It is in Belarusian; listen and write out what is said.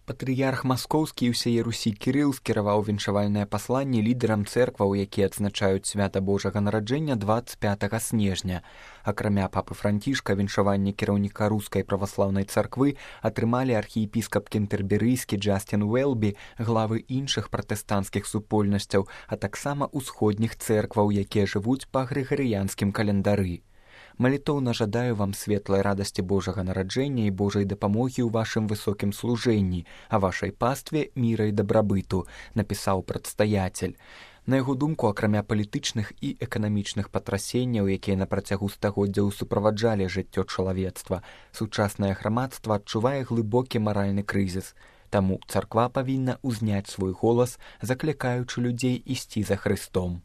Патрыярх маскоўскі і ўсяе Русі Кірыл скіраваў віншавальнае пасланне лідарам цэркваў, якія адзначаюць свята Божага нараджэння 25 снежня. Акрамя папы Францішка, віншаванне кіраўніка рускай праваслаўнай царквы атрымалі архіепіскап кентэрберыйскі Джастін Уэлбі, главы іншых пратэстанцкіх супольнасцяў, а таксама ўсходніх цэркваў, якія жывуць па грыгарыянскім календары. Малітоўна жадаю вам светлай радасці Божага нараджэння і Божай дапамогі ў вашым высокім служэнні, а вашай пастве міра і дабрабыту, напісаў прадстаяцель. На яго думку, акрамя палітычных і эканамічных патрасенняў, якія на працягу стагоддзяў суправаджалі жыццё чалавецтва, сучаснае грамадства адчувае глыбокі маральны крызіс. Таму царква павінна ўзняць свой голас, заклікаючы людзей ісці за Хрыстом.